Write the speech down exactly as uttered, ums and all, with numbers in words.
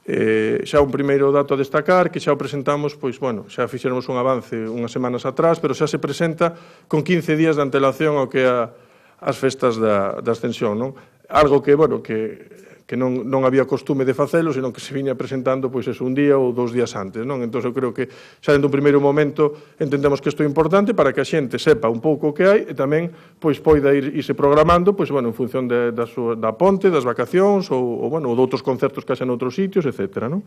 Eh, xa un primeiro dato a destacar, que xa o presentamos, pois, bueno, xa fixéramos un avance unhas semanas atrás, pero xa se presenta con quince días de antelación ao que é as festas da, da Ascensión, non? Algo que, bueno, que, que non, non había costume de facelo, senón que se viña presentando, pois, eso, un día ou dous días antes, non? Entón, eu creo que xa dentro un primeiro momento entendemos que isto é importante para que a xente sepa un pouco o que hai e tamén, pois, poida ir irse programando, pois, bueno, en función de, da, súa, da ponte, das vacacións ou, ou, bueno, ou de outros concertos que haxa noutros sitios, etcétera, non?